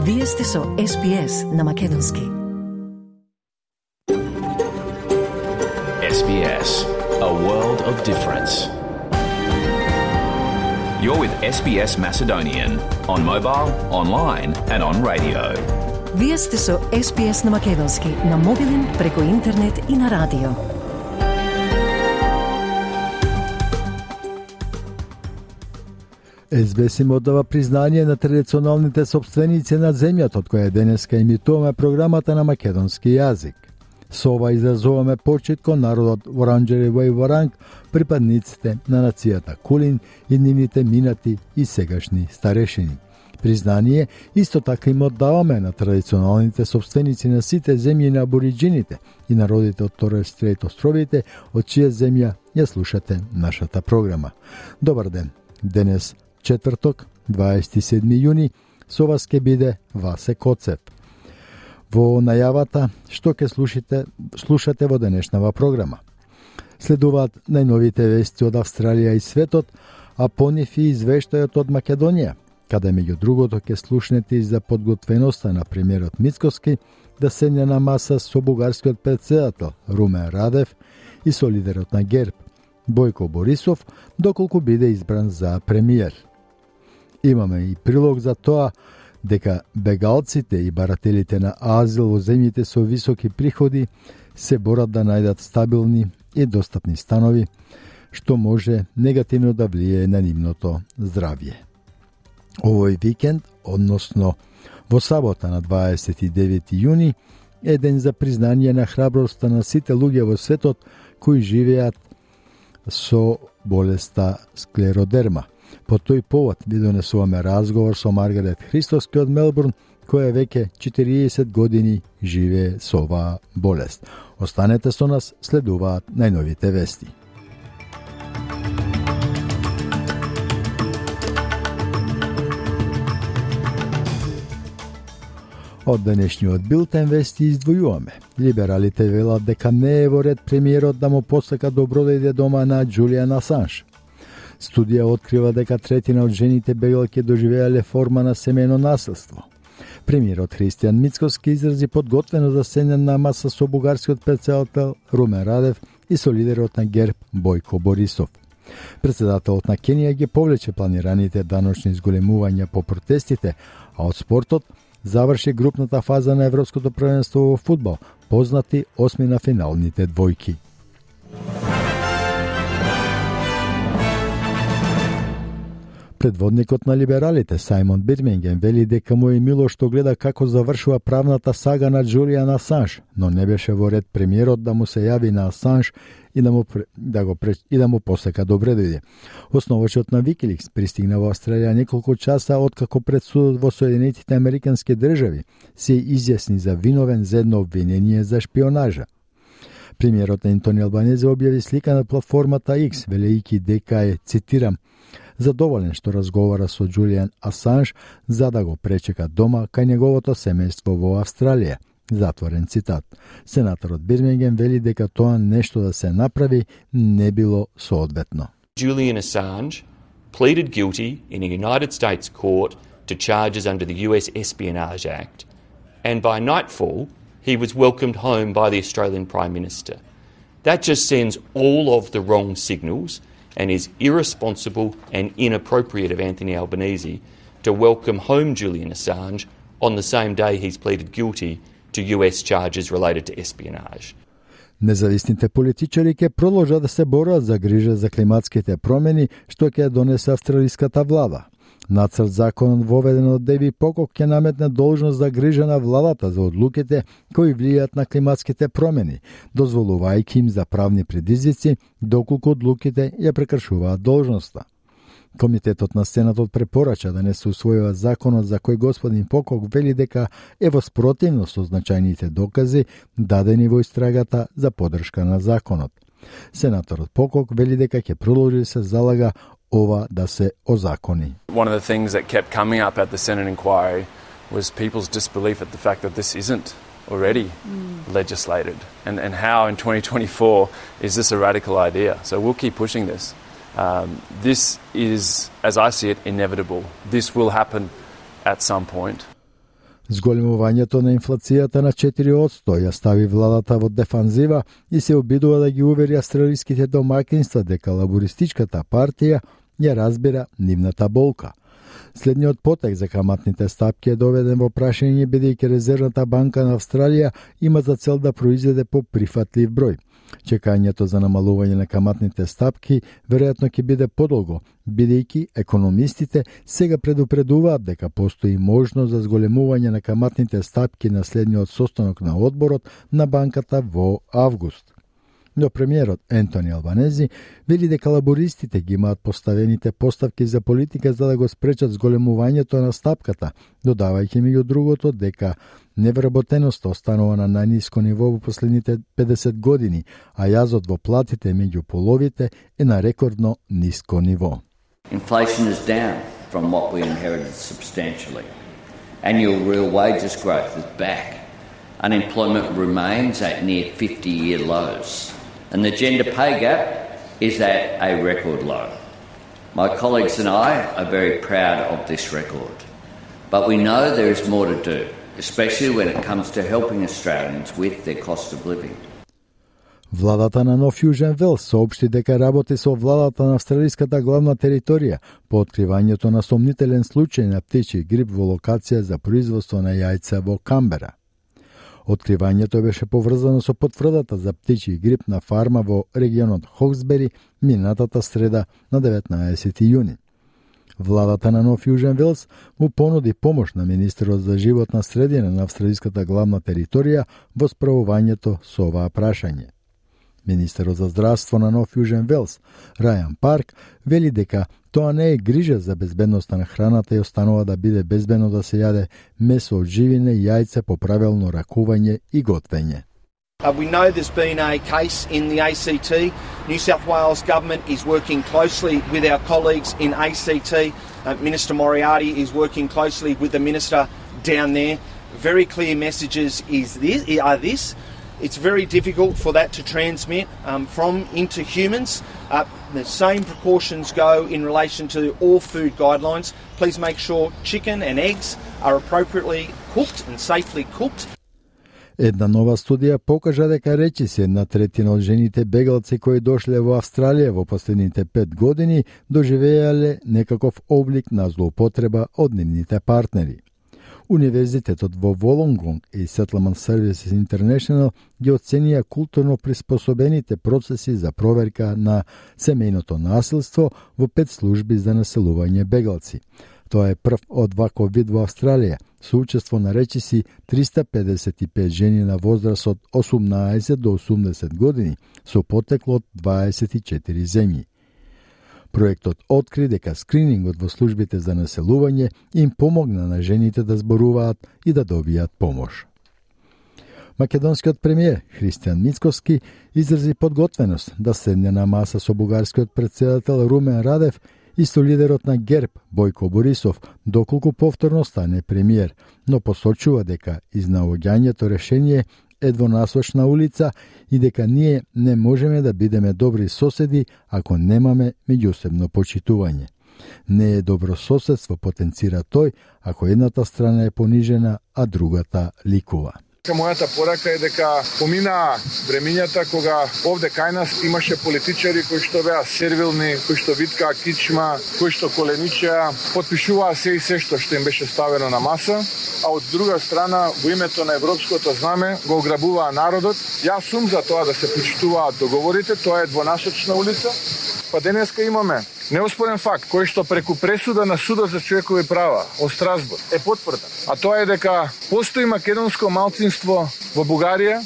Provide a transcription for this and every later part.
Вие сте со SBS на македонски. SBS, a world of difference. You're with SBS Macedonian on mobile, online and on radio. Вие сте со SBS на македонски на мобилен, преку интернет и на радио. SBS им оддава признание на традиционалните собственици на земјата, од која денеска емитуваме програмата на македонски јазик. Со ова изразуваме почит кон народот Воранџерево и Воранг, припадниците на нацијата Кулин и нивните минати и сегашни старешини. Признание исто така им оддаваме на традиционалните собственици на сите земји на абориџините и народите од Торес Стрейт островите, од чија земја ја слушате нашата програма. Добар ден. Денес четврток, 27 јуни, со вас ќе биде Васе Коцев. Во најавата што ќе слушате во денешнава програма. Следуваат најновите вести од Австралија и светот, а по нив и извештајот од Македонија, каде меѓу другото ќе слушнете и за подготвеноста на премиерот Мицкоски да седне на маса со бугарскиот претседател Румен Радев и со лидерот на ГЕРБ Бојко Борисов, доколку биде избран за премиер. Имаме и прилог за тоа дека бегалците и барателите на азил во земјите со високи приходи се борат да најдат стабилни и достапни станови, што може негативно да влијае на нивното здравје. Овој викенд, односно во сабота на 29 јуни, е ден за признание на храброста на сите луѓе во светот кои живеат со болеста склеродерма. По тој повод ви донесуваме разговор со Маргарет Христоски од Мелбурн, која веќе 40 години живее со оваа болест. Останете со нас, следуваат најновите вести. Од денешниот билтен вести издвојуваме. Либералите велат дека не е во ред премиерот да му посака добродејде дома на Џулијан Асанж. Студија открива дека третина од жените бегалки доживеале форма на семејно насилство. Премиерот Христијан Мицкоски изрази подготвено за седне на маса со бугарскиот претседател Румен Радев и со лидерот на ГЕРБ Бојко Борисов. Претседателот на Кенија ги повлече планираните даночни изголемувања по протестите, а од спортот заврши групната фаза на Европското првенство во фудбал, познати осми на финалните двојки. Предводникот на либералите Сајмон Бирминген вели дека му е мило што гледа како завршува правната сага на Џулијан Асанж, но не беше во ред премиерот да му се јави на Асанж и да му посека добредојде. Основачот на Викиликс пристигна во Австралија неколку часа откако пред судот во Соединетите Американски држави се изјасни за виновен за едно обвинение за шпионажа. Премиерот Ентони Албанезе објави слика на платформата X, велејќи дека е, цитирам, задоволен што разговара со Џулијан Асанж за да го пречека дома кај неговото семејство во Австралија. Затворен цитат. Сенаторот Бирминген вели дека тоа нешто да се направи не било соодветно. Julian Assange pleaded guilty in a United States court to charges under the US Espionage Act, and by nightfall he was welcomed home by the Australian Prime Minister. That just sends all of the wrong signals and is irresponsible and inappropriate of Anthony Albanese to welcome home Julian Assange on the same day he's pleaded guilty to US charges related to espionage. Независните политичари ќе продолжат да се борат за грижа за климатските промени што ќе донесе австралиската влада. Нацрт законот воведен од Деви Покок ќе наметне должност за грижа на владата за одлуките кои влијаат на климатските промени, дозволувајќи им за правни предизвици доколку одлуките ја прекршуваат должноста. Комитетот на Сенатот препорача да не се усвојува законот за кој господин Покок вели дека е во спротивност со значајните докази дадени во истрагата за поддршка на законот. Сенаторот Покок вели дека ќе продолжи се залага ова да се озакони. One of the things that kept coming up at the Senate inquiry was people's disbelief at the fact that this isn't already legislated and how in 2024 is this a radical idea. So we'll keep pushing this. This is, as I see it, inevitable. This will happen at some point. Зголемувањето на инфлацијата на 4% ја стави владата во дефанзива и се обидува да ги увери австралиските домакинства дека лабористичката партија ја разбира нивната болка. Следниот потек за каматните стапки е доведен во прашање бидејќи Резервната банка на Австралија има за цел да произведе поприфатлив број. Чекањето за намалување на каматните стапки веројатно ќе биде подолго, бидејќи економистите сега предупредуваат дека постои можност за зголемување на каматните стапки на следниот состанок на одборот на банката во август. Но премиерот Ентони Албанези вели дека лабористите ги имаат поставените поставки за политика за да го спречат зголемувањето на стапката, додавајќи меѓу другото дека невработеноста останува на најниско ниво во последните 50 години, а јазот во платите меѓу половите е на рекордно ниско ниво. Inflation is down from what we inherited substantially. Annual real wages growth is back. Unemployment remains at near 50-year lows. And the gender pay gap is at a record low. My colleagues and I are very proud of this record. But we know there is more to do, especially when it comes to helping Australians with their cost of living. Владата на Нов Јужен Велс соопшти дека работи со владата на австралиската главна територија по откривањето на сомнителен случај на птичји грип во локација за производство на јајца во Камбера. Откривањето беше поврзано со потврдата за птичји грип на фарма во регионот Хоксбери минатата среда на 19 јуни. Владата на Нов Јужен Велс му понуди помош на министерот за животна средина на австралиската главна територија во справувањето со оваа прашање. Министерот за здравство на Нов Јужен Велс, Рајан Парк, вели дека тоа не е грижа за безбедноста на храната и останува да биде безбедно да се јаде месо од живине и јајца по правилно ракување и готвење. We know there's been a case in the ACT. New South Wales Government is working closely with our colleagues in ACT. Minister Moriarty is working closely with the Minister down there. Very clear messages are this. It's very difficult for that to transmit from into humans. The same precautions go in relation to all food guidelines. Please make sure chicken and eggs are appropriately cooked and safely cooked. Една нова студија покажа дека речиси 1/3 од жените бегалци кои дошле во Австралија во последните 5 години доживеале некаков облик на злоупотреба од нивните партнери. Универзитетот во Волонгонг и Settlement Services International ги оценија културно приспособените процеси за проверка на семејното насилство во 5 служби за населување бегалци. Тоа е прв од ваков вид во Австралија, со учество на речиси 355 жени на возраст од 18 до 80 години, со потекло од 24 земји. Проектот откри дека скринингот во службите за населување им помогна на жените да зборуваат и да добијат помош. Македонскиот премиер Христијан Мицкоски изрази подготвеност да седне на маса со бугарскиот претседател Румен Радев и со лидерот на ГЕРБ Бојко Борисов, доколку повторно стане премиер, но посочува дека изнаоѓањето решение е двонасочна улица и дека ние не можеме да бидеме добри соседи ако немаме меѓусебно почитување. Не е добро соседство, потенцира тој, ако едната страна е понижена, а другата ликува. Мојата порака е дека поминаа времињата кога овде кај нас имаше политичари кои што беа сервилни, кои што виткаа кичма, кои што коленичеа, потпишуваа се и се што им беше ставено на маса, а од друга страна во името на европското знаме го ограбуваа народот. Јас сум за тоа да се почитуваат договорите, тоа е двонасочна улица. Па денеска имаме неоспорен факт кој што преку пресуда на Судот за човекови права од Страсбург е потврден, а тоа е дека постои македонско малцинство во Бугарија.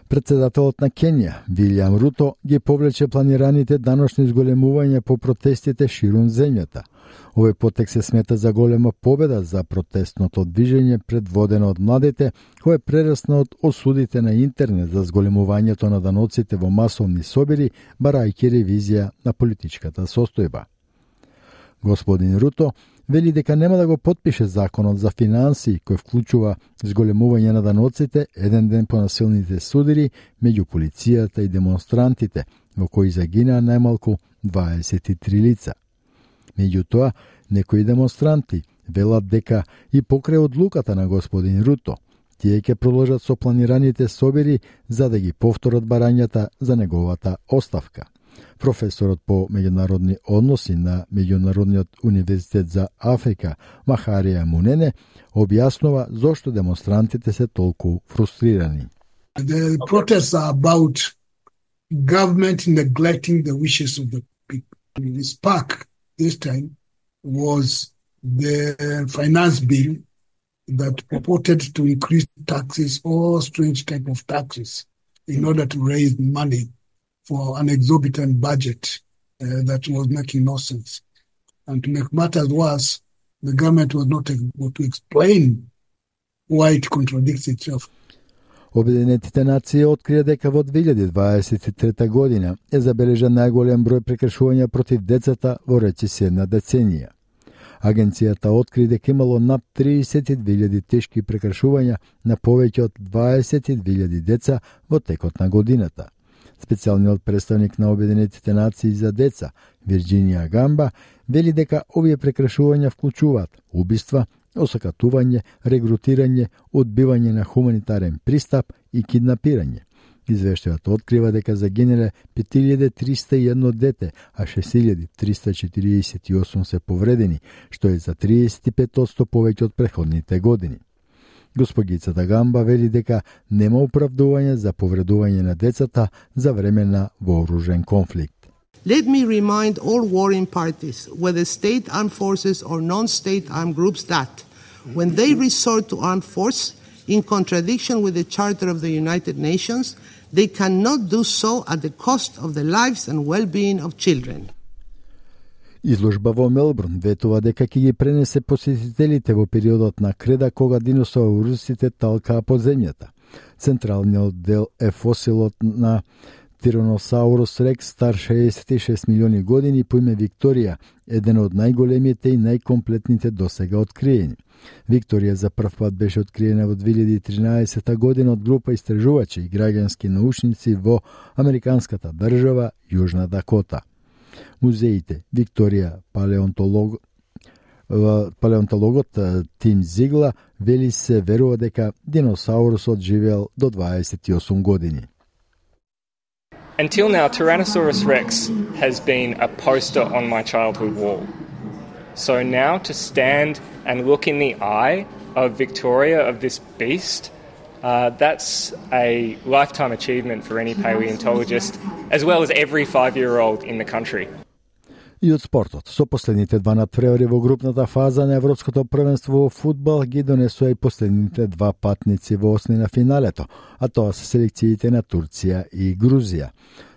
Председателот на Кенија, Вилијам Руто, ги повлече планираните даночни зголемувања по протестите ширум земјата. Овој потек се смета за голема победа за протестното движење предводено од младите, кој прерасна од осудите на интернет за зголемувањето на даноците во масовни собири, барајќи ревизија на политичката состојба. Господин Руто вели дека нема да го потпише законот за финансии кој вклучува зголемување на даноците еден ден по насилните судири меѓу полицијата и демонстрантите, во кои загинаа најмалку 23 лица. Меѓутоа, некои демонстранти велат дека и покрај одлуката на господин Руто, тие ќе продолжат со планираните собири за да ги повторат барањата за неговата оставка. Професорот по меѓународни односи на Меѓународниот универзитет за Африка, Махарија Мунене, објаснува зошто демонстрантите се толку фрустрирани. The protests are about government neglecting the wishes of the people. The spark this time was the finance bill that purported to increase taxes or strange type of taxes in order to raise money for an exorbitant budget that was making no sense. And to make matters worse, the government was not able to explain why it contradicts itself. Обединетите нации открија дека во 2023 година е забележан најголем број прекршувања против децата во речиси една деценија. Агенцијата откри дека имало над 32.000 тешки прекршувања на повеќе од 20.000 деца во текот на годината. Специјалниот представник на Обединетите нации за деца, Вирџинија Гамба, вели дека овие прекршувања вклучуваат убиства, осакатување, регрутирање, одбивање на хуманитарен пристап и киднапирање. Извештајот открива дека загинале 5301 дете, а 6348 се повредени, што е за 35% повеќе од претходните години. Госпогицата Гамба вели дека нема оправдување за повредување на децата за време на вооружен конфликт. Let me remind all warring parties, whether state armed forces or non-state armed groups, that when they resort to armed force, in contradiction with the Charter of the United Nations, they cannot do so at the cost of the lives and well-being of children. Изложба во Мелбурн ветува дека ќе ги пренесе посетителите во периодот на креда кога диносаурусите талкаа по земјата. Централниот дел е фосилот на Тираносаурус рекс стар 66 милиони години по име Викторија, еден од најголемите и најкомплетните досега откриени. Викторија за прв пат беше откриена во 2013 година од група истражувачи и граѓански научници во американската држава Јужна Дакота. Музеите Викторија палеонтологот Тим Зигла вели се верува дека диносаурусот живеел до 28 години. Until now, Tyrannosaurus rex has been a poster on my childhood wall. So now to stand and look in the eye of Victoria, of this beast, that's a lifetime achievement for any paleontologist, as well as every 5-year-old in the country. И од спортот, со последните два надпревари во групната фаза на Европското првенство во фудбал ги донесоа и последните два патници во осмина финалето, а тоа се селекциите на Турција и Грузија.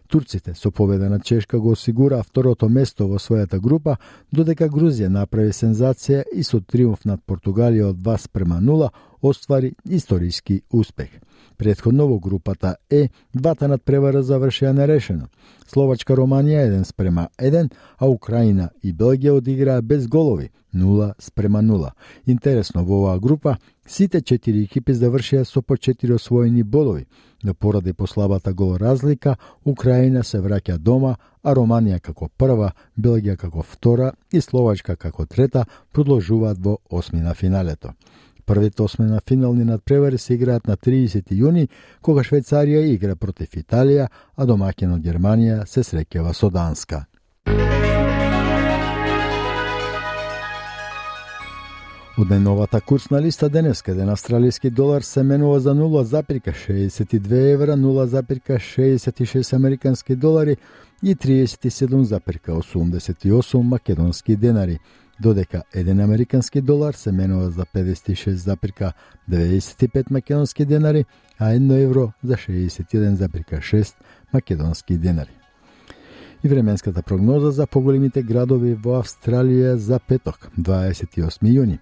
Турците со победа на Чешка го осигураа второто место во својата група, додека Грузија направи сензација и со триумф над Португалија од 2:0 оствари историски успех. Претходно во групата Е, двата надпревара завршија нерешено. Словачка Романија 1:1, а Украина и Белгија одиграа без голови 0:0. Интересно, во оваа група сите 4 екипи завршија со по 4 освоени бодови, но поради послабата гол разлика, Украина се враќа дома, а Романија како прва, Белгија како втора и Словачка како трета продолжуваат во осмина финалето. Првите осмина финални надпревари се играат на 30 јуни, кога Швајцарија игра против Италија, а домаќинот Германија се среќава со Данска. Од најновата курсна листа денеска, еден австралиски долар се менува за 0,62 евра, 0,66 американски долари и 37,88 македонски денари, додека еден американски долар се менува за 56,95 македонски денари, а 1 евро за 61,6 македонски денари. И временската прогноза за поголемите градови во Австралија за петок, 28 јуни.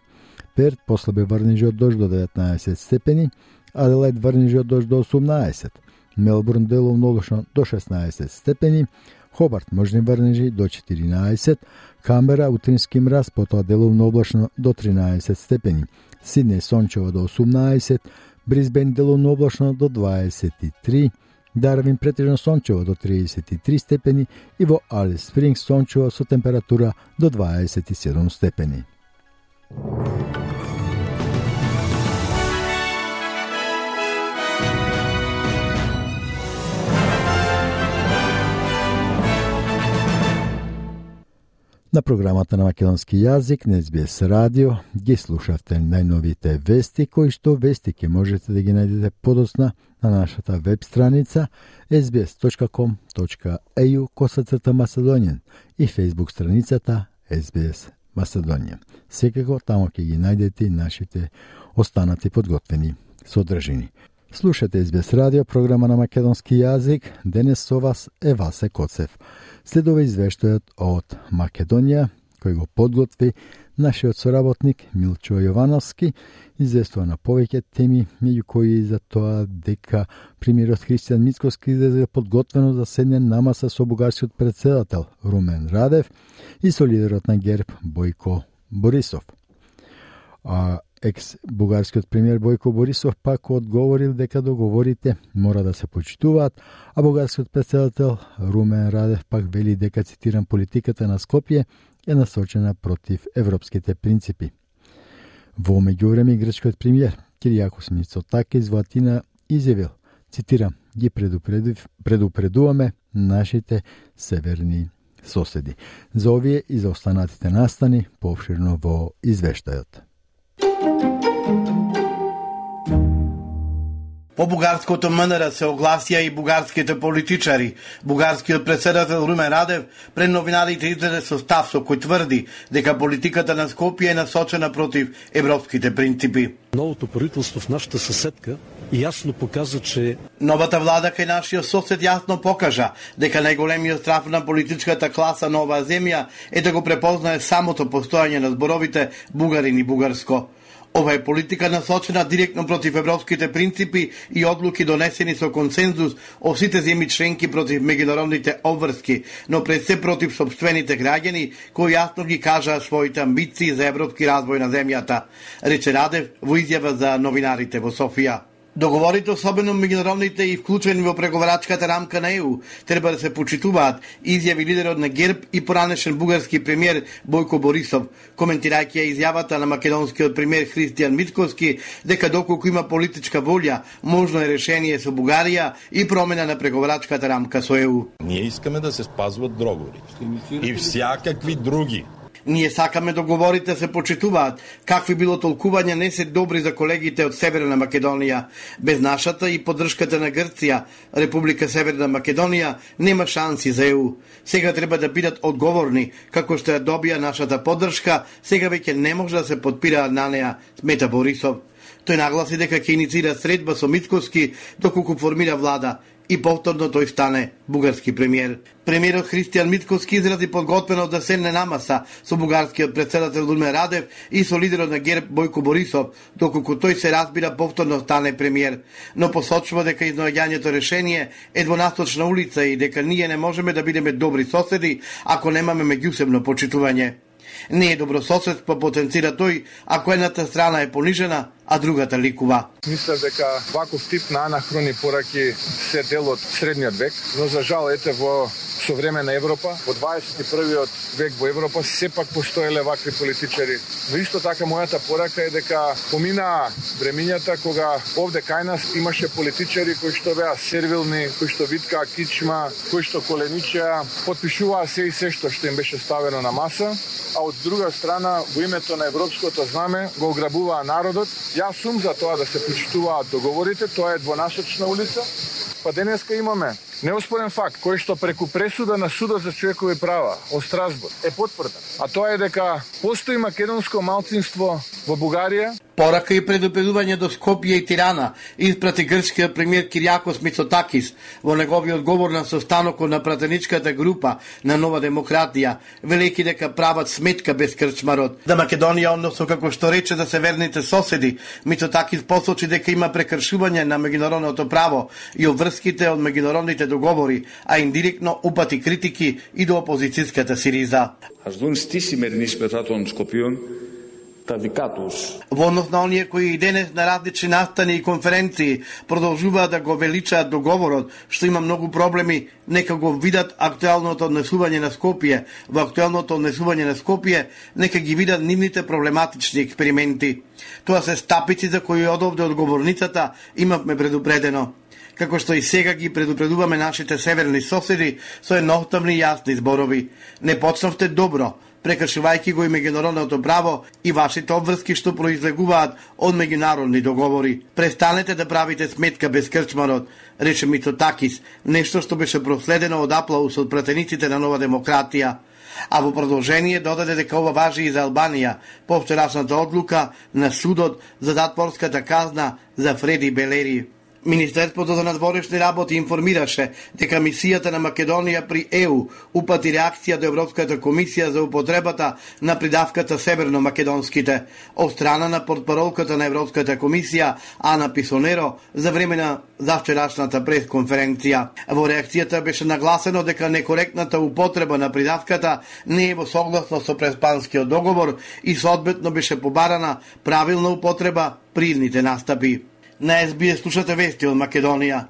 Перт послабе врнежи од дожд до 19 степени, Аделајд врнежи од дожд до 18, Мелбурн деловно облачно до 16 степени, Хобарт можни врнежи до 14, Камбера утрински мраз, потоа деловно облачно до 13 степени, Сиднеј сончево до 18, Брисбен деловно облачно до 23, Дарвин претежно сончево до 33 степени и во Алис Спрингс сончево со температура до 27 степени. На програмата на македонски јазик на SBS радио ги слушавте најновите вести, кои што вести ќе можете да ги најдете подоцна на нашата веб страница sbs.com.au/Macedonian и Facebook страницата SBS Macedonian. Секако тамо ќе ги најдете и нашите останати подготвени содржини. Слушате SBS радио, програма на македонски јазик. Денес со вас е Васе Коцев. Следува извештајот од Македонија, кој го подготви нашиот соработник Милчо Јовановски, известува на повеќе теми, меѓу кои за тоа дека премиерот Христијан Мицкоски излезе подготвено да седне на маса со бугарскиот претседател Румен Радев и со лидерот на ГЕРБ Бојко Борисов. Екс-бугарскиот премиер Бојко Борисов пак одговорил дека договорите мора да се почитуваат, а бугарскиот претседател Румен Радев пак вели дека, цитирам, политиката на Скопје е насочена против европските принципи. Во меѓувреме грчкиот премиер Киријакос Мицотакис во Атина изјавил, цитирам, ги предупредуваме нашите северни соседи. За овие и за останатите настани пообширно во извештајот. По бугарското МНР се огласија и бугарските политичари. Бугарскиот претседател Румен Радев пред новинарите излезе со став со кој тврди дека политиката на Скопје е насочена против европските принципи. Новото правителство в нашата съседка јасно показа, че новата влада кај нашиот сосед јасно покажа дека најголемиот страф на политичката класа на оваа земја е да го препознае самото постојање на зборовите бугарин и бугарско. Ова е политика насочена директно против европските принципи и одлуки донесени со консензус од сите земји членки против меѓународните обврски, но пред се против сопствените граѓани кои јасно ги кажаа своите амбиции за европски развој на земјата, рече Радев во изјава за новинарите во Софија. Договорите, особено меѓународните и вклучени во преговарачката рамка на ЕУ, треба да се почитуваат, изјави лидерот на ГЕРБ и поранешен бугарски премиер Бојко Борисов, коментирајќи ја изјавата на македонскиот премиер Христијан Мицкоски дека доколку има политичка волја, можно е решение со Бугарија и промена на преговарачката рамка со ЕУ. Ние искаме да се спазват договорите и всякакви други. Ние сакаме договорите се почитуваат. Какви било толкување не се добри за колегите од Северна Македонија. Без нашата и поддршката на Грција, Република Северна Македонија нема шанси за ЕУ. Сега треба да бидат одговорни, како што ја добија нашата поддршка, сега веќе не може да се подпираат на неа, смета Борисов. Тој нагласи дека ќе иницира средба со Мицкоски доколку формира влада и повторно тој стане бугарски премиер. Премиерот Христијан Мицкоски изрази подготвено да седне на маса со бугарскиот претседател Румен Радев и со лидерот на ГЕРБ Бојко Борисов, доколку тој се разбира повторно стане премиер, но посочува дека изнаоѓањето решение е двонасочна улица и дека ние не можеме да бидеме добри соседи ако немаме меѓусебно почитување. Не е добрососедство, потенцира тој, ако едната страна е понижена, а другата ликува. Мисля дека ваков тип на анахрони пораки се дел од средниот век, но за жал ете во современа Европа, во 21. век во Европа сепак постоеле вакви политичари. Но исто така мојата порака е дека поминаа времињата кога овде кај нас имаше политичари кои што беа сервилни, кои што виткаа кичма, кои што коленичеа, потпишуваа се и се што им беше ставено на маса, а од друга страна во името на европското знаме го ограбуваа народот. Јас сум за тоа да се почитуваат договорите, тоа е двонасочна улица. Па денеска имаме неоспорен факт кој што преку пресуда на Судот за човекови права од Страсбург е потврден, а тоа е дека постои македонско малцинство во Бугарија. Порака и предупредување до Скопје и Тирана испрати грчкиот премиер Киријакос Мицотакис во неговиот говор на состанокот на пратеничката група на Нова демократија, велејќи дека прават сметка без крчмарот. За Македонија, односно како што рече за северните соседи, Мицотакис посочи дека има прекршување на меѓународното право и обврските од меѓународните договори, а индиректно упати критики и до опозицијската Сириза. Ας δουν στη σημερινή συμπεριφορά των Σκοπίων Во однос на оние кои и денес на различни настани и конференции продолжуваат да го величаат договорот, што има многу проблеми, нека го видат актуелното однесување на Скопје. Во актуелното однесување на Скопје, нека ги видат нивните проблематични експерименти. Тоа се стапици за кои одовде од говорницата имавме предупредено. Како што и сега ги предупредуваме нашите северни соседи со едноставни и јасни зборови. Не почнавте добро, прекршувајќи го и меѓународното право и вашите обврски што произлегуваат од меѓународни договори. Престанете да правите сметка без крчмарот, рече Мицотакис, нешто што беше проследено од аплаус од пратениците на Нова демократија. А во продолжение додаде дека ова важи и за Албанија, по вчерашната одлука на судот за затворската казна за Фреди Белери. Министерството за надворешни работи информираше дека мисијата на Македонија при ЕУ упати реакција до Европската комисија за употребата на придавката северно-македонските од страна на портпаролката на Европската комисија Ана Писонеро за време на завчерашната пресконференција. Во реакцијата беше нагласено дека некоректната употреба на придавката не е во согласно со преспанскиот договор и соодветно беше побарана правилна употреба при идните настапи. На СБС слушате вести од Македонија.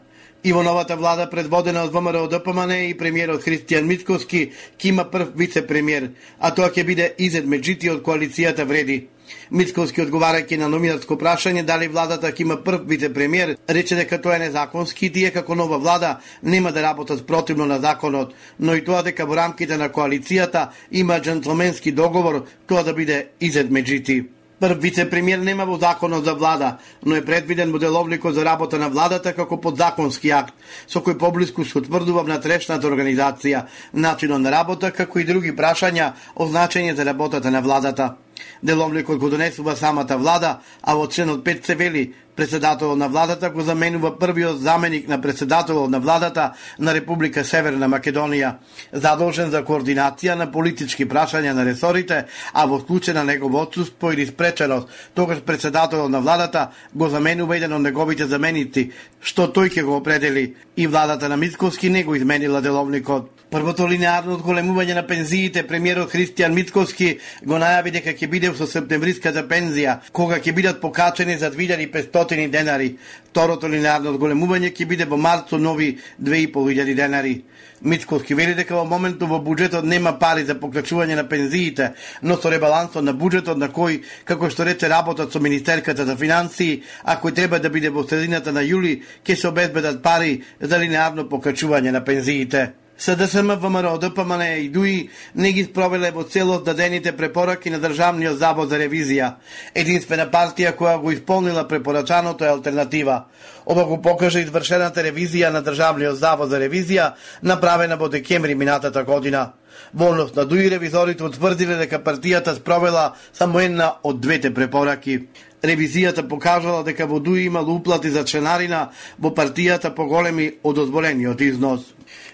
И во новата влада предводена од ВМРО-ДПМН и премиерот Христијан Мицкоски ќе има прв вице-премиер, а тоа ќе биде Изет Меджити од коалицијата Вреди. Мицкоски одговарајќи на номинатско прашање дали владата ќе има прв вице-премиер, рече дека тоа е незаконски и тие како нова влада нема да работат спротивно на законот, но и тоа дека во рамките на коалицијата има џентлменски договор тоа да биде Изет Меджити. Прв вице-премиер нема во законот за влада, но е предвиден во деловникот за работа на владата како подзаконски акт, со кој поблиску се утврдува внатрешната организација, начинот на работа, како и други прашања означени за работата на владата. Деловникот го донесува самата влада, а во членот 5 се вели председателот на владата го заменува првиот заменик на председателот на владата на Република Северна Македонија, задолжен за координација на политички прашања на ресорите, а во случај на негово отсуство или спреченост, тогаш председателот на владата го заменува еден од неговите заменици, што тој ќе го определи, и владата на Мицкоски не го изменила деловникот. Првото линеарно одголемување на пензиите премиерот Христијан Мицкоски го најави дека ќе биде со септемвриската пензија, кога ќе бидат покачени за 2500 денари. Второто линеарно одголемување ќе биде во март со нови 2500 денари. Мицкоски вели дека во моментот во буџетот нема пари за покачување на пензиите, но со ребалансот на буџетот на кој, како што рече, работат со Министерката за финансии, а кој треба да биде во средината на јули, ќе се обезбедат пари за линеарно покачување на пензиите. СДСМ, ВМРО, ДПМН и ДУИ не ги спровеле во целост дадените препораки на Државниот завод за ревизија. Единствена партија која го исполнила препорачаното е Алтернатива. Ова го покажа извршената ревизија на Државниот завод за ревизија, направена во декември минатата година. Во однос на ДУИ ревизорите утврдиле дека партијата спровела само една од двете препораки. Ревизијата покажала дека во ДУИ имало уплати за членарина во партијата поголеми од дозволениот износ.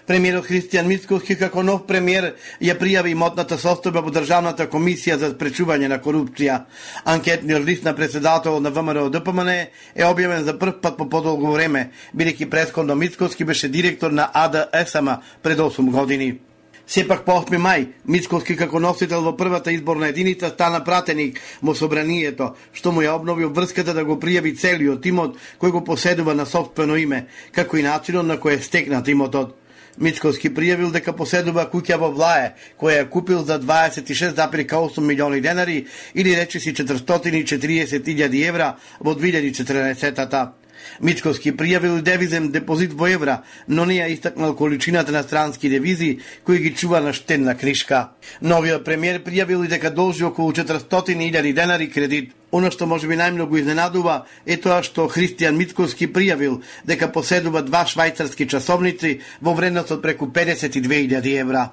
Премиерот Христијан Мицкоски како нов премиер ја пријави имотната состојба во Државната комисија за спречување на корупција. Анкетниот лист на председателот на ВМРО-ДПМН е објавен за прв пат по подолго време, бидејќи претходно Мицкоски беше директор на АДСМ пред 8 години. Сепак по 8 мај, Мицкоски како носител во првата изборна единица стана пратеник во собранието, што му ја обнови обврската да го пријави целиот имот кој го поседува на сопствено име, како и начинот на кој е стекнат имотот. Мицкоски пријавил дека поседува куќа во Влае, која ја купил за 26,8 милиони денари или речиси 440.000 евра во 2014-та. Мицкоски пријавил девизен депозит во евра, но не ја истакнал количината на странски девизи кои ги чува на штедна книшка. Новиот премиер пријавил и дека должи околу 400.000 денари кредит. Оно што можеби најмногу изненадува е тоа што Христијан Мицкоски пријавил дека поседува 2 швајцарски часовници во вредност од преку 52.000 евра.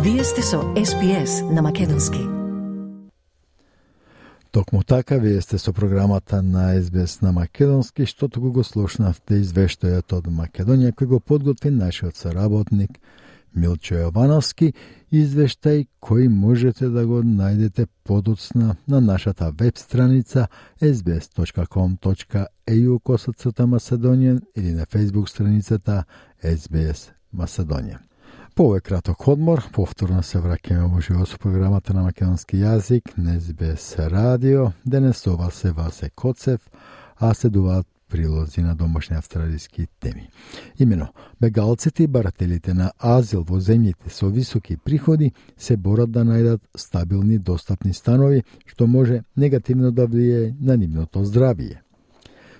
Вие сте со SPS на македонски. Токму така, вие сте со програмата на СБС на македонски, што туку го слушнавте извештајот од Македонија, кој го подготви нашиот соработник Милчо Јовановски, извештај кој можете да го најдете подоцна на нашата веб страница sbs.com.au/Macedonian или на Facebook страницата SBS Macedonian. По овој краток одмор, повторно се враќаме во живо со програмата на македонски јазик на СБС радио. Денес ова се Васе Коцев, а следуваат прилози на домашни австралиски теми. Имено, бегалците и барателите на азил во земјите со високи приходи се борат да најдат стабилни, достапни станови, што може негативно да влијае на нивното здравје.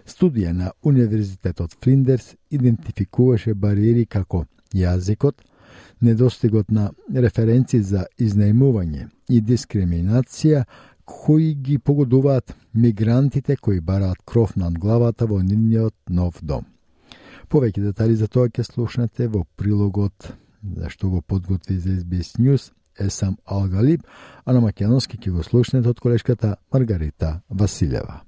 Студија на Универзитетот Флиндерс идентификуваше бариери како јазикот, недостигот на референци за изнајмување и дискриминација, кои ги погодуваат мигрантите кои бараат кров над главата во нивниот нов дом. Повеќе детали за тоа ќе слушнете во прилогот зашто го подготви за SBS News Есам Алгалиб, а на македонски ќе го слушнете од колешката Маргарита Василева.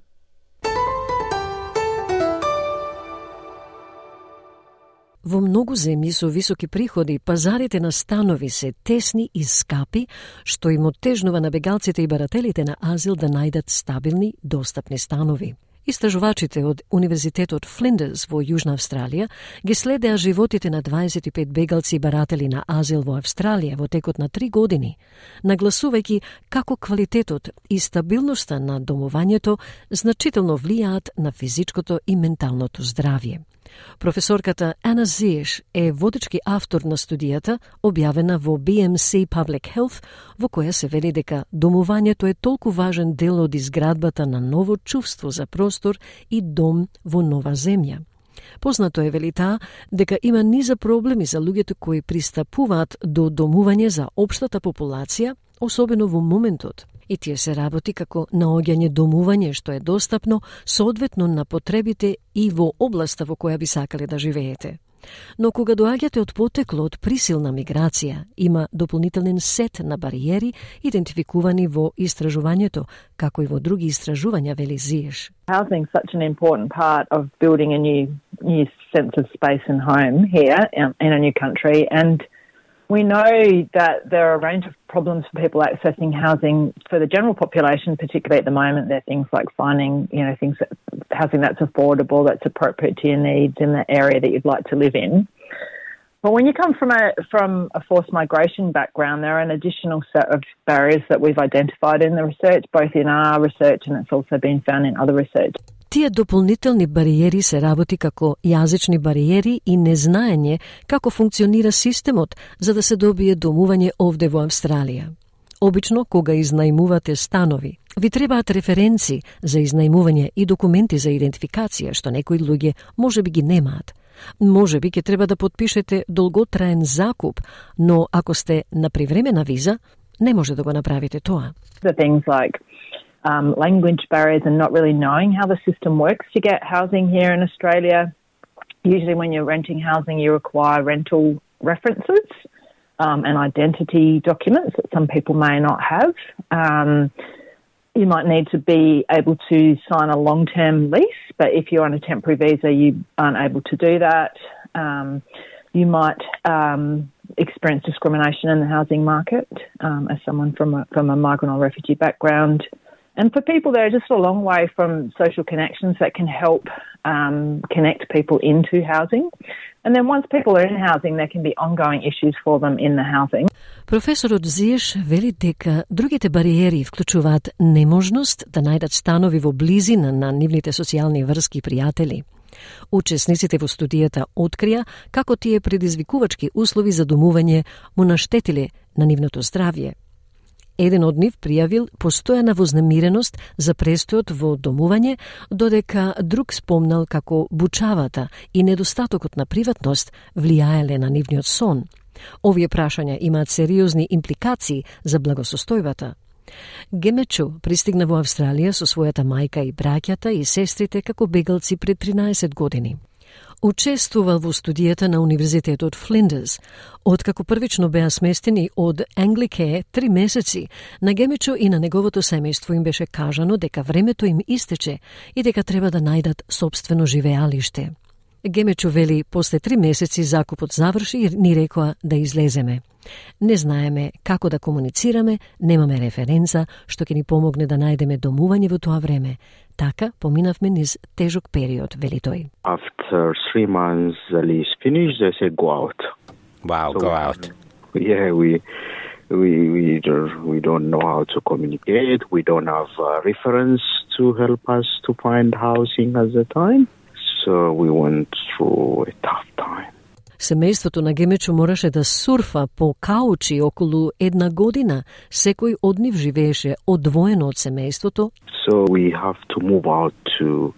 Во многу земји со високи приходи, пазарите на станови се тесни и скапи, што им оттежнува на бегалците и барателите на азил да најдат стабилни, достапни станови. Истражувачите од Универзитетот Флиндерс во Јужна Австралија ги следеа животите на 25 бегалци и баратели на азил во Австралија во текот на 3 години, нагласувајќи како квалитетот и стабилноста на домувањето значително влијаат на физичкото и менталното здравје. Професорката Ана Зиеш е водечки автор на студијата, објавена во BMC Public Health, во која се вели дека домувањето е толку важен дел од изградбата на ново чувство за простор и дом во нова земја. Познато е, вели таа, дека има низа проблеми за луѓето кои пристапуваат до домување за општата популација, особено во моментот. И тие се работи како наоѓање домување што е достапно соодветно на потребите и во областа во која би сакале да живеете. Но кога доаѓате од потекло од присилна миграција, има дополнителен сет на бариери идентификувани во истражувањето, како и во други истражувања, вели Зиеш. Housing is such an important part of building a new sense of space and home here in a new country, and we know that there are a range of problems for people accessing housing for the general population, particularly at the moment. There are things like finding, housing that's affordable, that's appropriate to your needs in the area that you'd like to live in. But when you come from a forced migration background, there are an additional set of barriers that we've identified in the research, both in our research and it's also been found in other research. Тие дополнителни бариери се работи како јазични бариери и незнаење како функционира системот за да се добие домување овде во Австралија. Обично, кога изнајмувате станови, ви требаат референци за изнајмување и документи за идентификација, што некои луѓе можеби ги немаат. Можеби ќе треба да подпишете долготраен закуп, но ако сте на привремена виза, не може да го направите тоа. The things like language barriers and not really knowing how the system works to get housing here in Australia. Usually when you're renting housing, you require rental references and identity documents that some people may not have. You might need to be able to sign a long-term lease, but if you're on a temporary visa, you aren't able to do that. You might experience discrimination in the housing market as someone from a migrant or refugee background. And for people, they're just a long way from social connections that can help connect people into housing. And then once people are in housing, there can be ongoing issues for them in the housing. Професорот Зиеш вели дека другите бариери вклучуваат неможност да најдат станови во близина на нивните социјални врски и пријатели. Учесниците во студијата открија како тие предизвикувачки услови за домување му наштетиле на нивното здравје. Еден од нив пријавил постојана вознемиреност за престојот во домување, додека друг спомнал како бучавата и недостатокот на приватност влијаеле на нивниот сон. Овие прашања имаат сериозни импликации за благосостојбата. Гемечу пристигна во Австралија со својата мајка и браќата и сестрите како бегалци пред 13 години. Учествувал во студијата на Универзитетот Флиндерс. Откако првично беа сместени од Anglicare 3 месеци, на Гемечо и на неговото семејство им беше кажано дека времето им истече и дека треба да најдат сопствено живеалиште. Гемечо вели, после 3 месеци закупот заврши и ни рекоа да излеземе. Не знаеме како да комуницираме, немаме референца што ќе ни помогне да најдеме домување во тоа време. Така поминавме низ тежок период, вели тој. After 3 months the lease finished, they said go out. Wow, So, go out. Yeah, we don't know how to communicate. We don't have a reference to help us to find housing at the time. So we went through a tough time. Семејството на Гемечу мораше да сурфа по каучи околу 1 година. Секој од нив живееше одвоено од семејството. So we have to move out to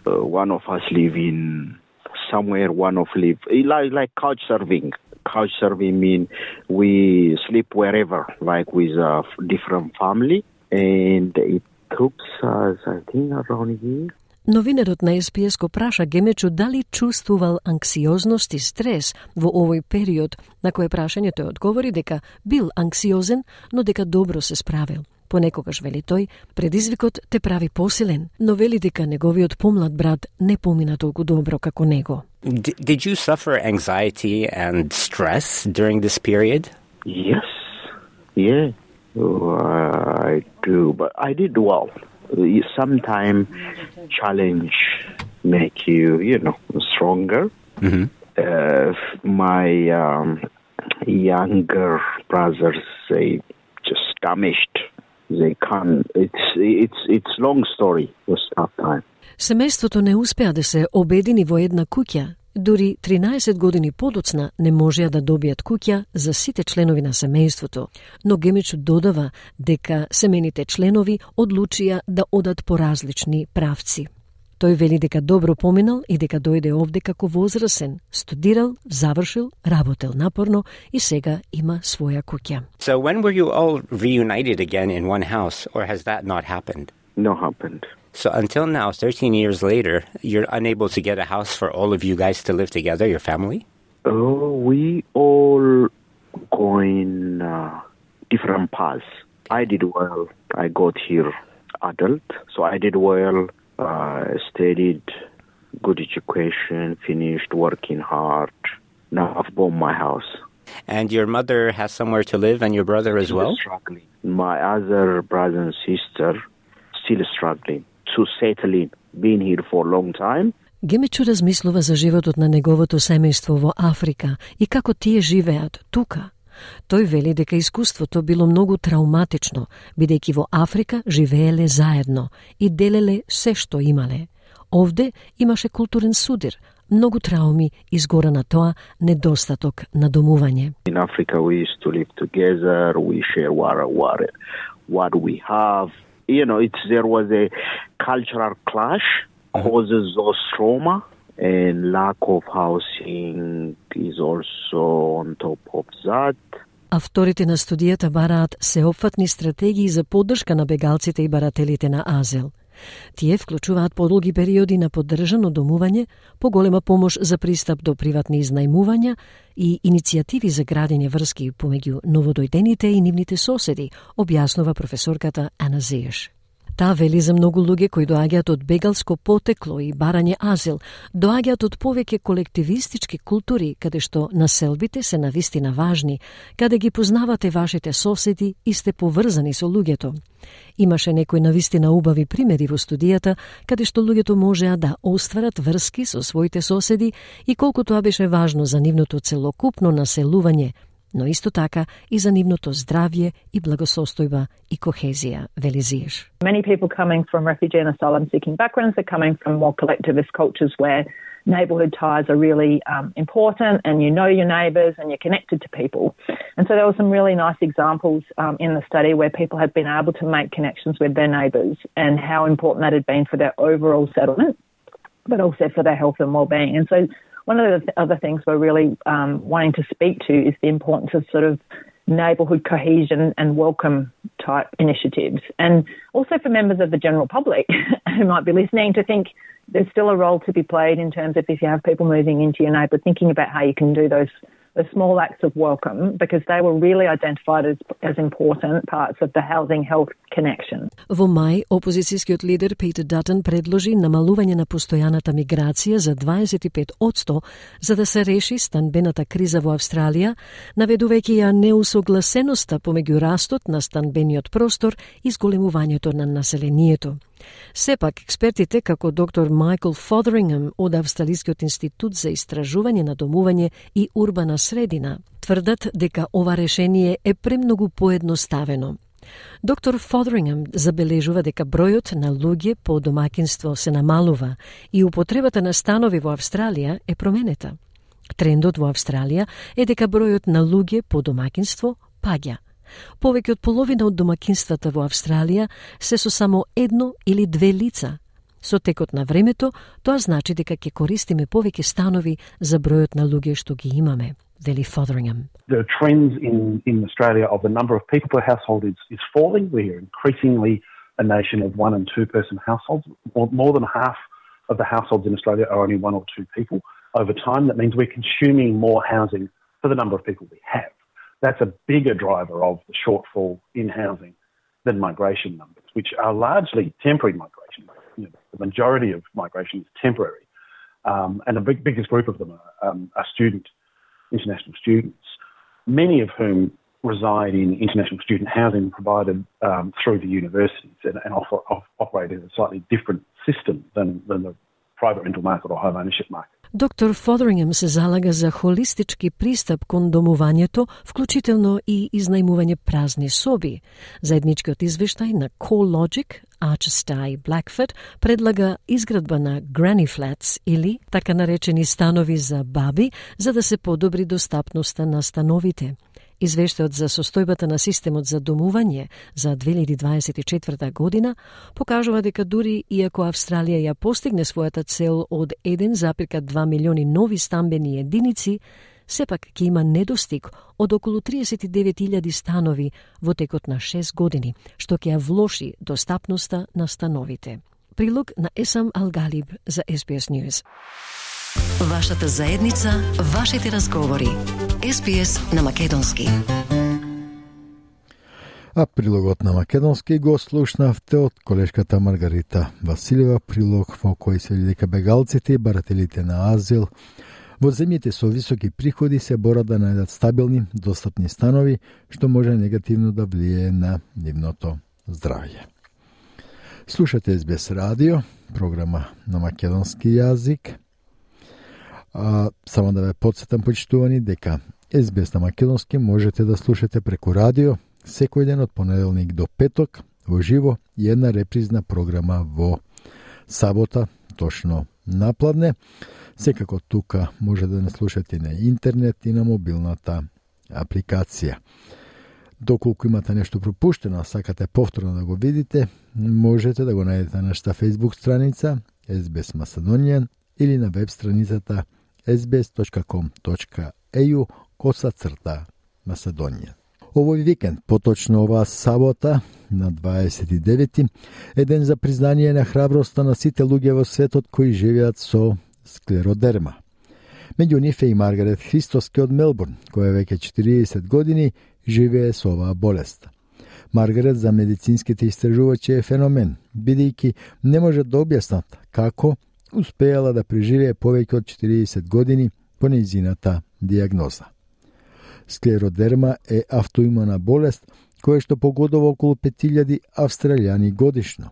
one of us live in somewhere, one of live like couch surfing. Couch surfing mean we sleep wherever, like with a different family, and it took us, I think, around a year. Новинерот на СПС го праша Гемечу дали чувствувал анксиозност и стрес во овој период, на кое прашање тој одговори дека бил анксиозен, но дека добро се справил. Понекогаш, вели тој, предизвикот те прави посилен, но вели дека неговиот помлад брат не помина толку добро како него. Did you suffer anxiety and stress during this period? Yes, yeah, I do, but I did well. Sometimes challenge make you, stronger. Mm-hmm. My younger brothers, they just damaged. They can't. It's long story. It was tough time. Семејството не успеа да се обедини во една куќа. Дури 13 години подоцна не можеа да добијат куќа за сите членови на семејството, но Гемечу додава дека семејните членови одлучија да одат по различни правци. Тој вели дека добро поминал и дека дојде овде како возрасен, студирал, завршил, работел напорно и сега има своја куќа. So when were you all reunited again in one house, or has that not happened? No happened. So until now, 13 years later, you're unable to get a house for all of you guys to live together, your family? Oh, we all going different paths. I did well. I got here adult, so I did well. Studied, good education, finished working hard. Now I've bought my house. And your mother has somewhere to live, and your brother as well? Struggling. My other brother and sister still struggling to settle in. Been here for a long time. Гемечу размислува за животот на неговото семејство во Африка и како тие живеат тука. Тој вели дека искуството било многу трауматично, бидејќи во Африка живееле заедно и делеле се што имале. Овде имаше културен судир, многу трауми изгора на тоа недостаток на домување. In Africa we used to live together, we share what we have. There was a cultural clash, causes those trauma, and lack of housing is also on top of that. Авторите на студијата бараат сеопфатни стратегии за поддршка на бегалците и барателите на азил. Тие вклучуваат подолги периоди на поддржано домување, поголема помош за пристап до приватни изнајмувања и иницијативи за градење врски помеѓу новодојдените и нивните соседи, објаснува професорката Ана Зиеш. Таа вели за многу луѓе кои доаѓаат од бегалско потекло и барање азил, доаѓаат од повеќе колективистички култури, каде што населбите се навистина важни, каде ги познавате вашите соседи и сте поврзани со луѓето. Имаше некои навистина убави примери во студијата, каде што луѓето можеа да остварат врски со своите соседи и колку тоа беше важно за нивното целокупно населување, но исто така и за нивното здравје и благосостојба и кохезија, вели Зиеш. Many people coming from refugee and asylum seeking backgrounds are coming from more collectivist cultures where neighbourhood ties are really important, and you know your neighbours and you're connected to people. And so there were some really nice examples in the study where people have been able to make connections with their neighbours and how important that had been for their overall settlement, but also for their health and well-being. And so one of the other things we're really wanting to speak to is the importance of sort of neighbourhood cohesion and welcome type initiatives. And also for members of the general public who might be listening to think there's still a role to be played in terms of if you have people moving into your neighbourhood, thinking about how you can do those small acts of welcome, because they were really identified as important parts of the housing health connection. Во мај, опозицијскиот лидер Питер Датон предложи намалување на постојаната миграција за 25% за да се реши станбената криза во Австралија, наведувајќи ја неусогласеноста помеѓу растот на станбениот простор и зголемувањето на населението. Сепак, експертите, како доктор Майкл Фодерингем од Австралискиот институт за истражување на домување и урбана средина, тврдат дека ова решение е премногу поедноставено. Доктор Фодерингем забележува дека бројот на луѓе по домаќинство се намалува и употребата на станови во Австралија е променета. Трендот во Австралија е дека бројот на луѓе по домаќинство паѓа. Повеќе од половина од домаќинствата во Австралија се со само едно или две лица. Со текот на времето, тоа значи дека ќе користиме повеќе станови за бројот на луѓе што ги имаме, вели Фодерингем. The trends in Australia of the number of people per household is falling. We are increasingly a nation of 1- and 2-person households. More than half of the households in Australia are only 1 or 2 people. Over time, that means we're consuming more housing for the number of people we have. That's a bigger driver of the shortfall in housing than migration numbers, which are largely temporary migration. The majority of migration is temporary, and the biggest group of them are international students, many of whom reside in international student housing provided through the universities and operate in a slightly different system than the private rental market or home ownership market. Доктор Фодерингем се залага за холистички пристап кон домувањето, вклучително и изнајмување празни соби. Заедничкиот извештај на CoreLogic, Archstay и Blackfoot предлага изградба на granny flats или така наречени станови за баби, за да се подобри достапноста на становите. Извештајот за состојбата на системот за домување за 2024 година покажува дека дури иако Австралија ја постигне својата цел од 1,2 милиони нови стамбени единици, сепак ќе има недостиг од околу 39.000 станови во текот на 6 години, што ќе ја влоши достапноста на становите. Прилог на Есам Алгалиб за SBS News. Вашата заедница, вашите разговори. SBS на македонски. А прилогот на македонски го слушнавте од колешката Маргарита Василева, прилог во кој се вели дека бегалците и барателите на азил во земјите со високи приходи се борат да најдат стабилни, достапни станови, што може негативно да влијае на нивното здравје. Слушате SBS радио, програма на македонски јазик. Само да ве потсетам, почитувани, дека SBS на македонски можете да слушате преку радио секој ден од понеделник до петок во живо и една репризна програма во сабота, точно напладне. Секако тука може да не слушате на интернет и на мобилната апликација. Доколку имате нешто пропуштено, а сакате повторно да го видите, можете да го најдете на нашата Facebook страница SBS Macedonian или на веб страницата sbs.com.au/Macedonian. Овој викенд, поточно оваа сабота, на 29-ти, е ден за признание на храброста на сите луѓе во светот кои живеат со склеродерма. Меѓу нив е и Маргарет Христоски од Мелбурн, која веќе 40 години живее со оваа болест. Маргарет за медицинските истражувачи е феномен, бидејќи не може да објаснат како успеала да преживее повеќе од 40 години по нејзината дијагноза. Склеродерма е автоимуна болест која што погодува околу 5000 австралијани годишно,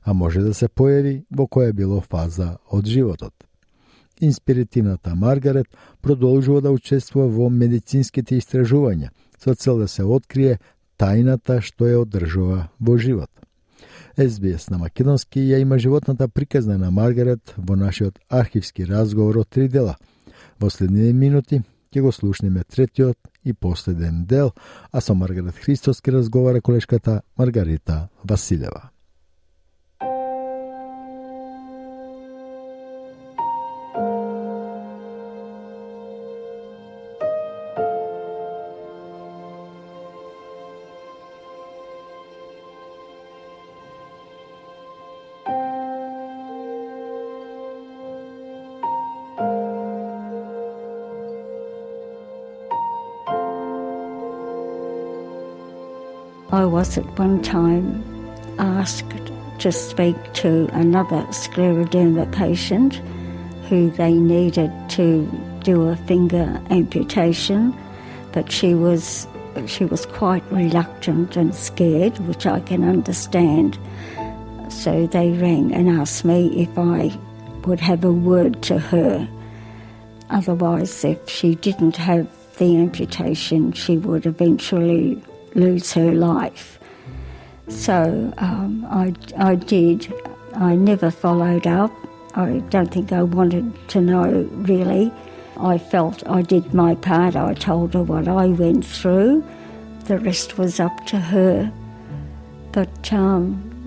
а може да се појави во која било фаза од животот. Инспиритивната Маргарет продолжува да учествува во медицинските истражувања со цел да се открие тајната што ја одржува во живот. SBS на македонски ја има животната приказна на Маргарет во нашиот архивски разговор од 3 дела. Во следните минути ќе го слушнеме третиот и последен дел, а со Маргарет Христоски разговара колешката Маргарита Василева. I was at one time asked to speak to another scleroderma patient who they needed to do a finger amputation, but she was quite reluctant and scared, which I can understand. So they rang and asked me if I would have a word to her. Otherwise, if she didn't have the amputation, she would eventually lose her life. So I did. I never followed up. I don't think I wanted to know, really. I felt I did my part. I told her what I went through. The rest was up to her. But,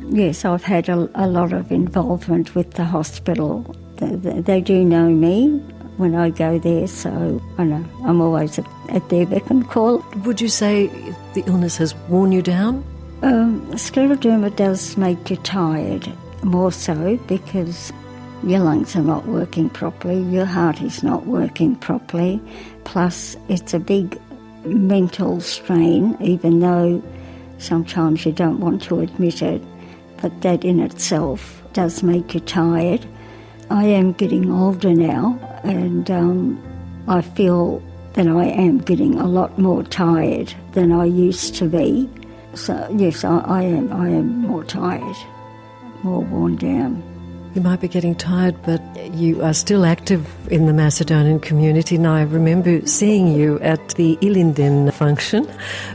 yes, I've had a lot of involvement with the hospital. They do know me when I go there, so I know I'm always at their beck and call. Would you say the illness has worn you down? Scleroderma does make you tired, more so because your lungs are not working properly, your heart is not working properly, plus it's a big mental strain, even though sometimes you don't want to admit it, but that in itself does make you tired. I am getting older now, and I feel that I am getting a lot more tired than I used to be. So yes, I am more tired, more worn down. You might be getting tired, but you are still active in the Macedonian community. Now, I remember seeing you at the Ilinden function,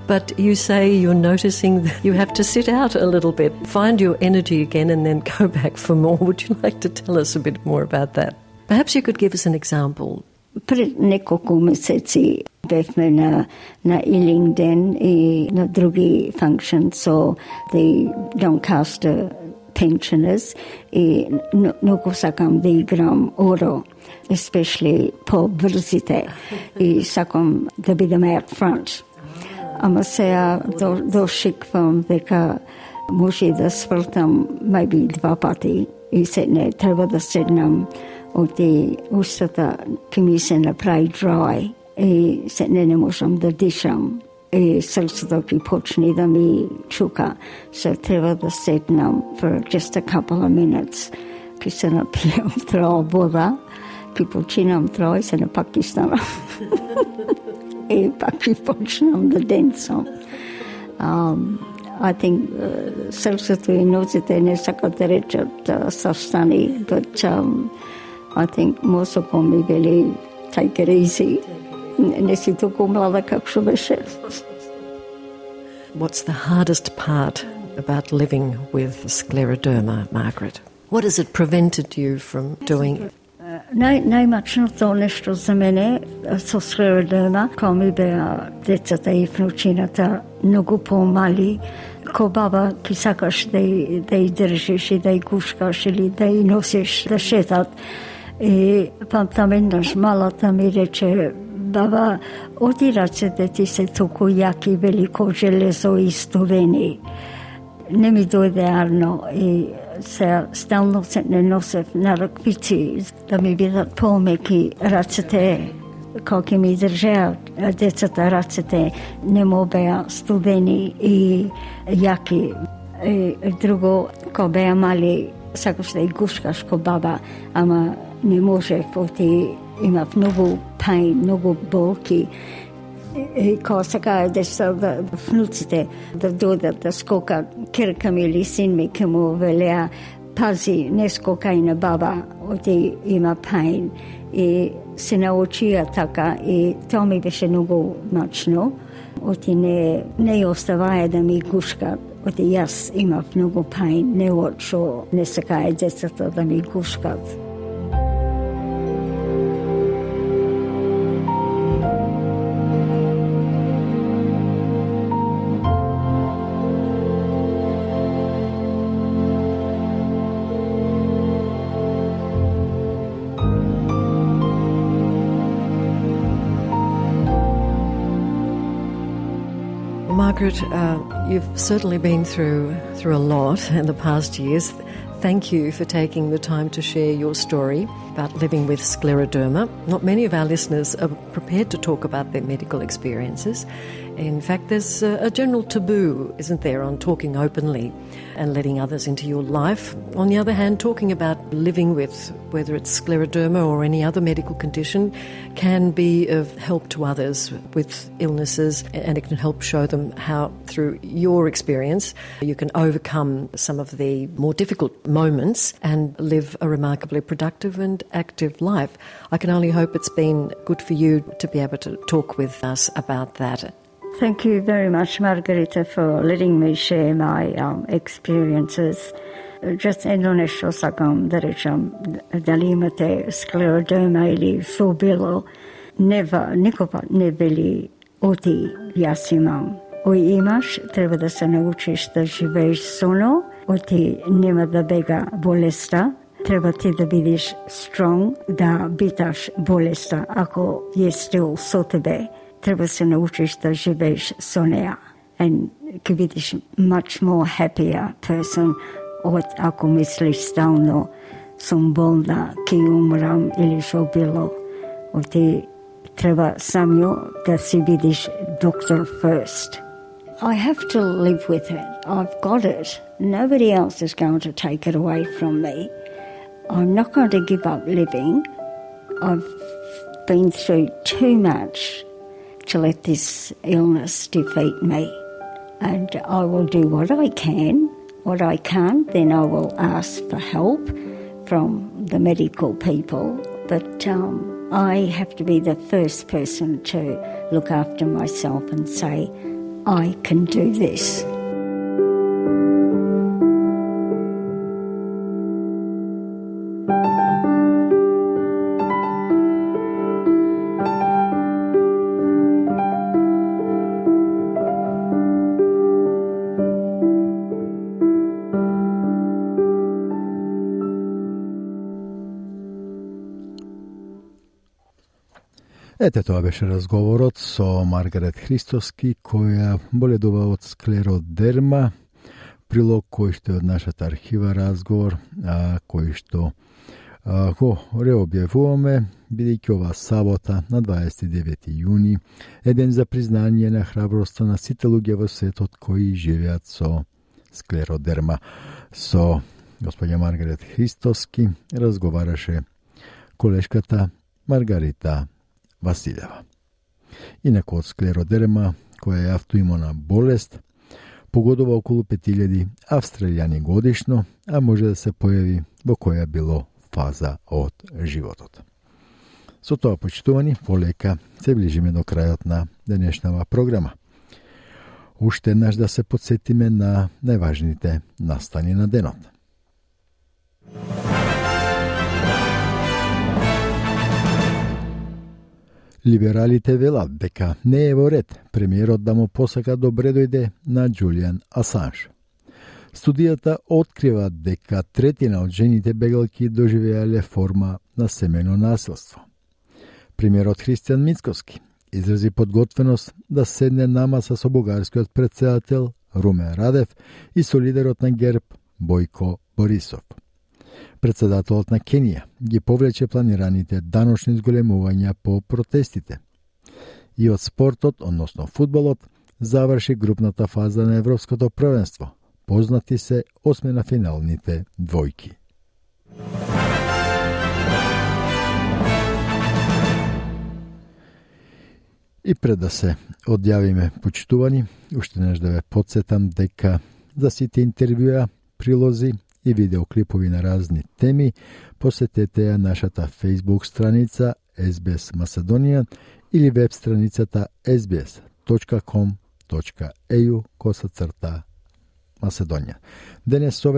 but you say you're noticing that you have to sit out a little bit, find your energy again, and then go back for more. Would you like to tell us a bit more about that? Perhaps you could give us an example. Пред неколку месеци бевме на Ilinden и на други functions, so the Doncaster pensioners и многу сакам да играм оро, especially по брзите и сакам да бидам out front. Ама сега дошиквам дека може да свртам maybe 2 пати и се не треба да седнам оти устата ки ми се направи dry и се не можам да дишам. И срцето ки почне да ми чука. So треба да седнам for just a couple of minutes. Ки се напијам троа вода, ки починам троа и се напак ки станам. И пак ки почнам да денцам. I think срцето и нозите не сакат да речат састани, but I think мозокот ми вели take it easy. What's the hardest part about living with scleroderma, Margaret? What has it prevented you from doing? Најмачното нешто за мене со scleroderma, кога ми беа децата и внучината многу помали, ко баба ки сакаш да ја држиш и да ја гушкаш или да ја носиш да шетат. И памтам еднаш малата ми рече: баба, оти рацете ти се толку јаки, велико железо и студени. Не ми дојде арно и се стално се не носев на раквици да ми бидат помеки рацете, кога ми држеа децата рацете, не му беа студени и јаки. И друго, кога беа мали, сакаш да ја гушкаш ко баба, ама не можев, оти имав многу pain, многу болки. И кога сакаа да внуците да додат да скокат, керка ми или син ми ке му велеа: пази, не скокај на баба, оти има pain. И се научија така и тоа ми беше многу мачно. Оти не оставаја да ми гушкат. Оти јас имав многу pain, не очо, не сакаја децата да ми гушкат. Margaret, you've certainly been through a lot in the past years. Thank you for taking the time to share your story about living with scleroderma. Not many of our listeners are prepared to talk about their medical experiences, In fact, there's a general taboo, isn't there, on talking openly and letting others into your life. On the other hand, talking about living with, whether it's scleroderma or any other medical condition, can be of help to others with illnesses, and it can help show them how, through your experience, you can overcome some of the more difficult moments and live a remarkably productive and active life. I can only hope it's been good for you to be able to talk with us about that. Thank you very much, Margarita, for letting me share my experiences. Just едно нешто сакам да речам, дали имате склеродерма или фобило, никогаш не вели оти јас имам. Ој имаш, треба да се научиш да живееш со но, оти нема да бега болеста, треба ти да бидеш strong, да биташ болеста, ако е still со тебе. Треба се научиш да живееш со неа. And ќе бидеш much more happier person од ако мислиш стално сум болна, ќе умрам или шо било. Оти треба самјо да си бидеш доктор first. I have to live with it. I've got it. Nobody else is going to take it away from me. I'm not going to give up living. I've been through too much to let this illness defeat me. And I will do what I can. What I can't, then I will ask for help from the medical people. But I have to be the first person to look after myself and say, I can do this. Ете, тоа беше разговорот со Маргарет Христоски, која боледува од склеродерма, прилог кој што е од нашата архива разговор, кој што го реобјавуваме, бидејќи ова сабота на 29 јуни е ден за признание на храброста на сите луѓе во светот кои живеат со склеродерма. Со господја Маргарет Христоски разговараше колешката Маргарита Василева. Инаку од склеродерма, која е автоимуна болест, погодува околу 5000 австралијани годишно, а може да се појави во која било фаза од животот. Со тоа, почитувани, полека се ближиме до крајот на денешнава програма. Уште еднаш да се подсетиме на најважните настани на денот. Либералите велат дека не е во ред премиерот да му посака добре дојде на Џулијан Асанж. Студијата открива дека третина од жените бегалки доживеале форма на семено насилство. Премиерот Христијан Мицкоски изрази подготвеност да седне на маса со бугарскиот претседател Румен Радев и со лидерот на ГЕРБ Бојко Борисов. Председателот на Кенија ги повлече планираните даночни зголемувања по протестите. И од спортот, односно фудбалот, заврши групната фаза на Европското првенство. Познати се осмина финалните двојки. И пред да се одјавиме, почитувани, уште неш да ве подсетам дека за сите интервјуа, прилози и видеоклипови на разни теми, посетете ја нашата Facebook страница SBS Macedonian или веб страницата sbs.com.au/Macedonија. Денес со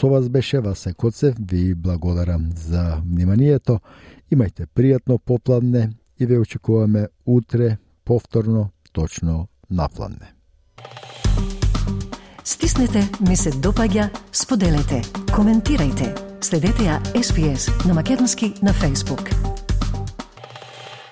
вас беше Васе Коцев, ви благодарам за вниманието, имајте пријатно попладне и ве очекуваме утре повторно точно напладне. Стиснете, ми се допаѓа, споделете, коментирајте. Следете ја SPS на македонски на Facebook.